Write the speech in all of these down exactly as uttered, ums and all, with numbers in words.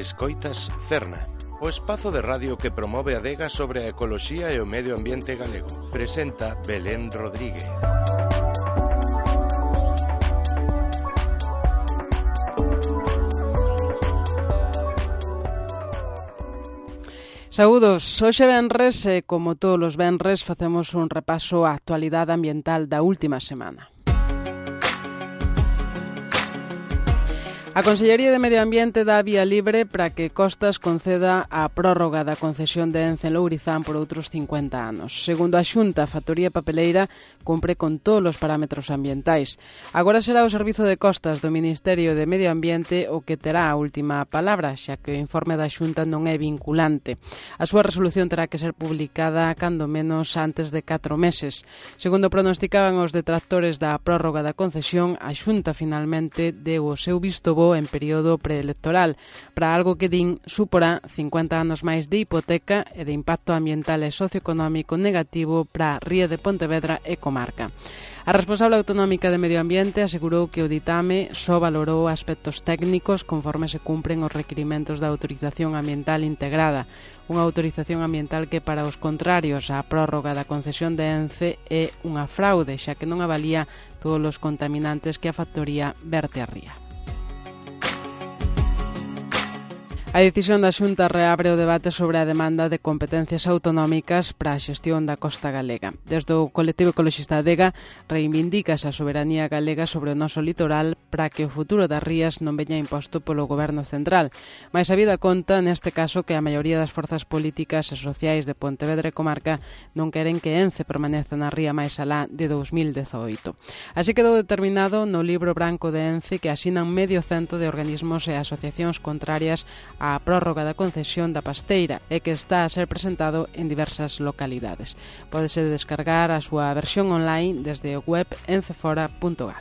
Escoitas Cerna, o espazo de radio que promove a adega sobre a ecoloxía e o medio ambiente galego. Presenta Belén Rodríguez. Saúdos, hoxe venres e como todos os venres facemos un repaso á actualidade ambiental da última semana. A Consellería de Medio Ambiente dá vía libre para que Costas conceda a prórroga da concesión de Ence en Lourizán por outros cincuenta anos. Segundo a Xunta, a factoría papeleira cumpre con todos os parámetros ambientais. Agora será o Servizo de Costas do Ministerio de Medio Ambiente o que terá a última palabra, xa que o informe da Xunta non é vinculante. A súa resolución terá que ser publicada cando menos antes de catro meses. Segundo pronosticaban os detractores da prórroga da concesión, a Xunta finalmente deu o seu visto bo en período preelectoral para algo que din suporá cincuenta anos máis de hipoteca e de impacto ambiental e socioeconómico negativo para a Ría de Pontevedra e comarca. A responsable autonómica de Medio Ambiente asegurou que o ditame só valorou aspectos técnicos conforme se cumpren os requirimentos da autorización ambiental integrada, unha autorización ambiental que para os contrarios á prórroga da concesión de Ence é unha fraude, xa que non avalía todos os contaminantes que a factoría verte á ría. A decisión da Xunta reabre o debate sobre a demanda de competencias autonómicas para a xestión da costa galega. Desde o colectivo ecoloxista Adega reivindícase a soberanía galega sobre o noso litoral para que o futuro das rías non veña imposto polo goberno central. Mais a vida conta, neste caso, que a maioría das forzas políticas e sociais de Pontevedra e comarca non queren que Ence permaneza na ría máis alá de dous mil dezaoito. Así quedou determinado no libro branco de Ence que asinan medio cento de organismos e asociacións contrarias a prórroga da concesión da Pasteira e que está a ser presentado en diversas localidades. Pódese descargar a súa versión online desde o web encefora punto gal.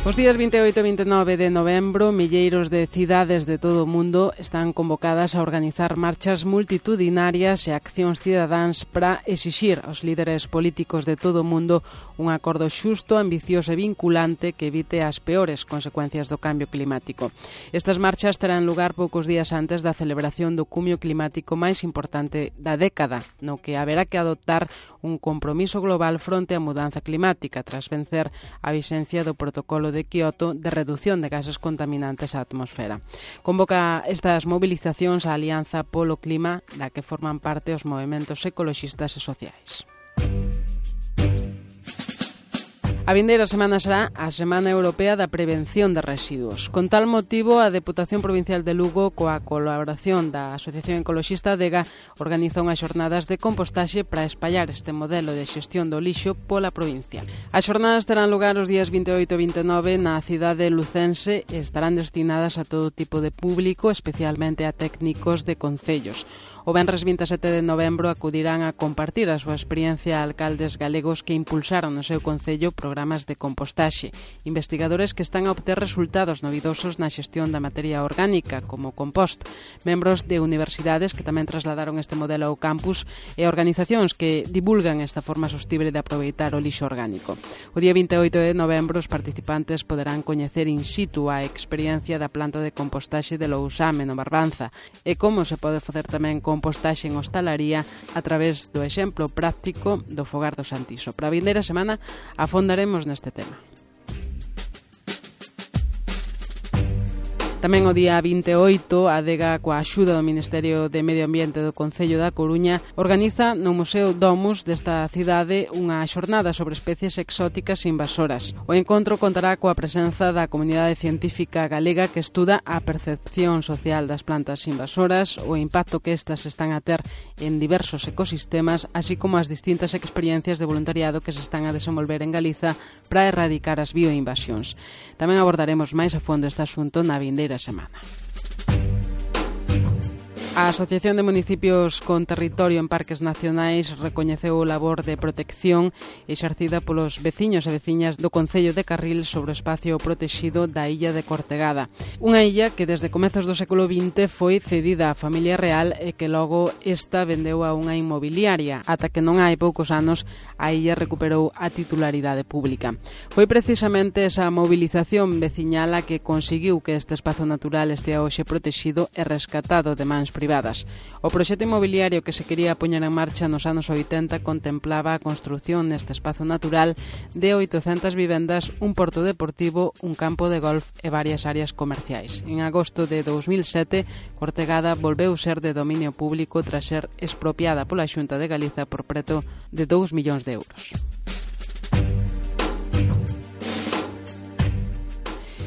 Os días vinte e oito e vinte e nove de novembro, milleiros de cidades de todo o mundo están convocadas a organizar marchas multitudinarias e accións cidadáns para exixir aos líderes políticos de todo o mundo un acordo xusto, ambicioso e vinculante que evite as peores consecuencias do cambio climático. Estas marchas terán lugar poucos días antes da celebración do cumio climático máis importante da década, no que haberá que adoptar un compromiso global fronte á mudanza climática tras vencer a vixencia do protocolo de de Kioto de reducción de gases contaminantes á atmosfera. Convoca estas movilizacións a Alianza polo Clima, da que forman parte os movementos ecoloxistas e sociais. A vindeira semana será a Semana Europea da Prevención de Residuos. Con tal motivo, a Deputación Provincial de Lugo, coa colaboración da Asociación Ecoloxista Adega, organiza unhas xornadas de compostaxe para espallar este modelo de xestión do lixo pola provincia. As xornadas terán lugar os días vinte e oito e vinte e nove na cidade lucense e estarán destinadas a todo tipo de público, especialmente a técnicos de concellos. O venres vinte e sete de novembro acudirán a compartir a súa experiencia a alcaldes galegos que impulsaron no seu concello programas de compostaxe, investigadores que están a obter resultados novidosos na xestión da materia orgánica, como compost, membros de universidades que tamén trasladaron este modelo ao campus e organizacións que divulgan esta forma sostible de aproveitar o lixo orgánico. O día vinte e oito de novembro os participantes poderán coñecer in situ a experiencia da planta de compostaxe de Lousame, no Barbanza, e como se pode facer tamén compostaxe en hostalaría a través do exemplo práctico do Fogar do Santiso. Para a vindeira semana afondaremos neste tema. Tamén o día vinte e oito, a Adega, coa axuda do Ministerio de Medio Ambiente do Concello da Coruña, organiza no Museo Domus desta cidade unha xornada sobre especies exóticas e invasoras. O encontro contará coa presenza da comunidade científica galega que estuda a percepción social das plantas invasoras, o impacto que estas están a ter en diversos ecosistemas, así como as distintas experiencias de voluntariado que se están a desenvolver en Galiza para erradicar as bioinvasións. Tamén abordaremos máis a fondo este asunto na vindeira semana. A Asociación de Municipios con Territorio en Parques Nacionais recoñeceu o labor de protección exercida polos veciños e veciñas do Concello de Carril sobre o espacio protexido da illa de Cortegada. Unha illa que desde comezos do século vinte foi cedida á familia real e que logo esta vendeu a unha inmobiliaria, ata que non hai poucos anos a illa recuperou a titularidade pública. Foi precisamente esa movilización veciñal a que conseguiu que este espazo natural estea hoxe protexido e rescatado de mans privadas. O proxecto inmobiliario que se quería poñer en marcha nos anos oitenta contemplaba a construción neste espazo natural de oitocentas vivendas, un porto deportivo, un campo de golf e varias áreas comerciais. En agosto de dous mil sete, Cortegada volveu ser de dominio público tras ser expropiada pola Xunta de Galiza por preto de dous millóns de euros.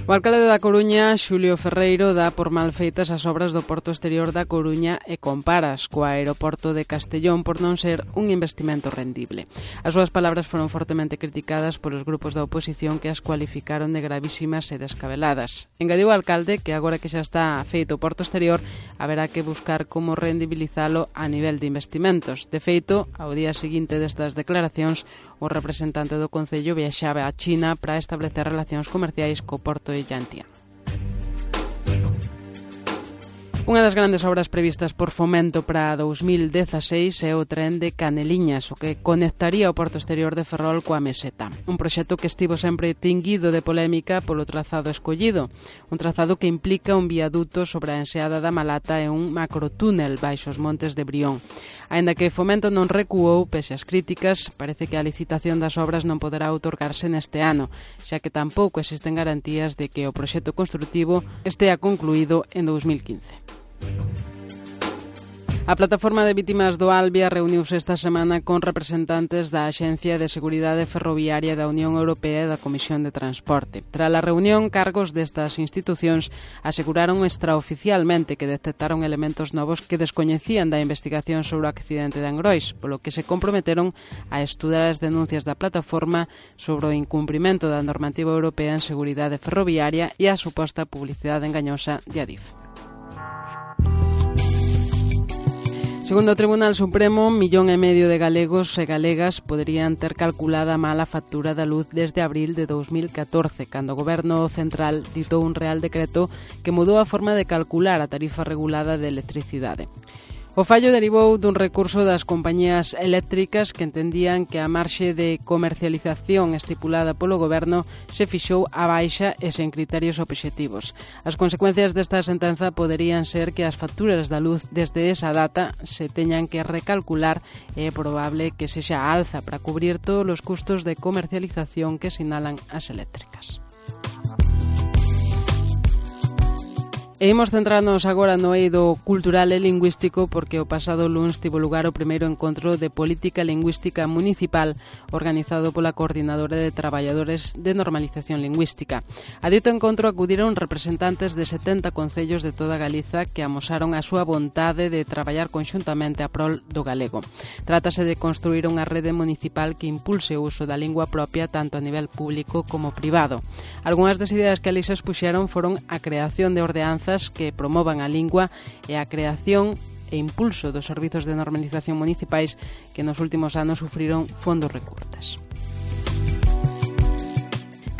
O alcalde da Coruña, Xulio Ferreiro, dá por mal feitas as obras do Porto Exterior da Coruña e comparas co aeroporto de Castellón por non ser un investimento rendible. As súas palabras foron fortemente criticadas polos grupos da oposición que as cualificaron de gravísimas e descabeladas. Engadiu o alcalde que agora que xa está feito o Porto Exterior haberá que buscar como rendibilizalo a nivel de investimentos. De feito, ao día seguinte destas declaracións, o representante do Concello viaxaba a China para establecer relacións comerciais co Porto de Llantia. Unha das grandes obras previstas por Fomento para dous mil dezaseis é o tren de Caneliñas, o que conectaría o Porto Exterior de Ferrol coa Meseta. Un proxecto que estivo sempre tinguido de polémica polo trazado escollido. Un trazado que implica un viaduto sobre a enseada da Malata e un macrotúnel baixo os montes de Brión. Aínda que Fomento non recuou, pese ás críticas, parece que a licitación das obras non poderá outorgarse neste ano, xa que tampouco existen garantías de que o proxecto construtivo estea concluído en dous mil quince. A Plataforma de Vítimas do Albia reuniuse esta semana con representantes da Axencia de Seguridade Ferroviaria da Unión Europea e da Comisión de Transporte. Tras a reunión, cargos destas institucións aseguraron extraoficialmente que detectaron elementos novos que descoñecían da investigación sobre o accidente de Angrois, polo que se comprometeron a estudar as denuncias da plataforma sobre o incumprimento da normativa europea en seguridade ferroviaria e a suposta publicidade engañosa de Adif. Segundo o Tribunal Supremo, millón e medio de galegos e galegas poderían ter calculada mal a factura da luz desde abril de dous mil catorce, cando o Goberno Central ditou un real decreto que mudou a forma de calcular a tarifa regulada de electricidade. O fallo derivou dun recurso das compañías eléctricas que entendían que a marxe de comercialización estipulada polo Goberno se fixou a baixa e sen criterios obxectivos. As consecuencias desta sentenza poderían ser que as facturas da luz desde esa data se teñan que recalcular e é probable que sexa alza para cubrir todos os custos de comercialización que sinalan as eléctricas. E imos centrarnos agora no eido cultural e lingüístico porque o pasado luns tivo lugar o primeiro encontro de política lingüística municipal organizado pola Coordinadora de Traballadores de Normalización Lingüística. A dito encontro acudiron representantes de setenta concellos de toda Galiza que amosaron a súa vontade de traballar conxuntamente a prol do galego. Trátase de construir unha rede municipal que impulse o uso da lingua propia tanto a nivel público como privado. Algúnas das ideas que ali se expuxeron foron a creación de ordenanzas que promovan a lingua e a creación e impulso dos servizos de normalización municipais que nos últimos anos sufriron fondos recortes.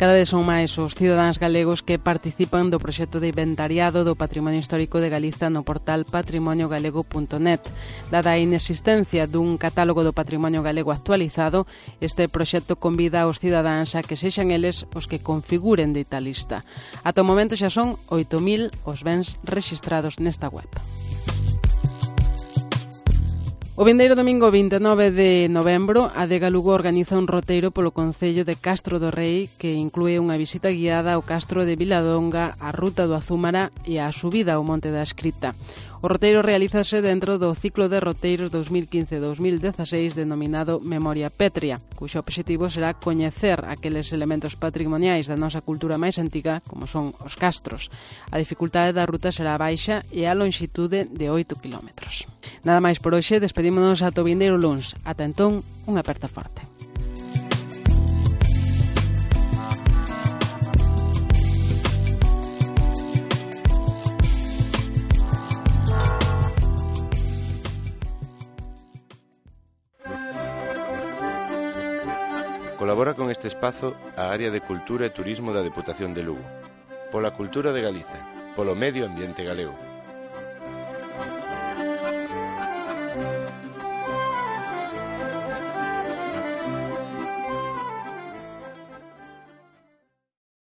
Cada vez son máis os cidadáns galegos que participan do proxecto de inventariado do Patrimonio Histórico de Galiza no portal patrimonio galego punto net. Dada a inexistencia dun catálogo do patrimonio galego actualizado, este proxecto convida aos cidadáns a que sexan eles os que configuren dita lista. Ata o momento xa son oito mil os bens rexistrados nesta web. O vindeiro domingo vinte e nove de novembro, a Adega Lugo organiza un roteiro polo concello de Castro do Rei que inclúe unha visita guiada ao Castro de Viladonga, a Ruta do Azúmara e a subida ao Monte da Escrita. O roteiro realízase dentro do ciclo de roteiros dous mil quince a dous mil dezaseis denominado Memoria Pétrea, cuxo obxectivo será coñecer aqueles elementos patrimoniais da nosa cultura máis antiga, como son os castros. A dificultade da ruta será baixa e a lonxitude de oito kilómetros. Nada máis por hoxe, despedímonos ata o vindeiro luns. Ata entón, unha aperta forte. Colabora con este espazo a área de Cultura e Turismo da Deputación de Lugo. Pola cultura de Galiza, polo medio ambiente galego.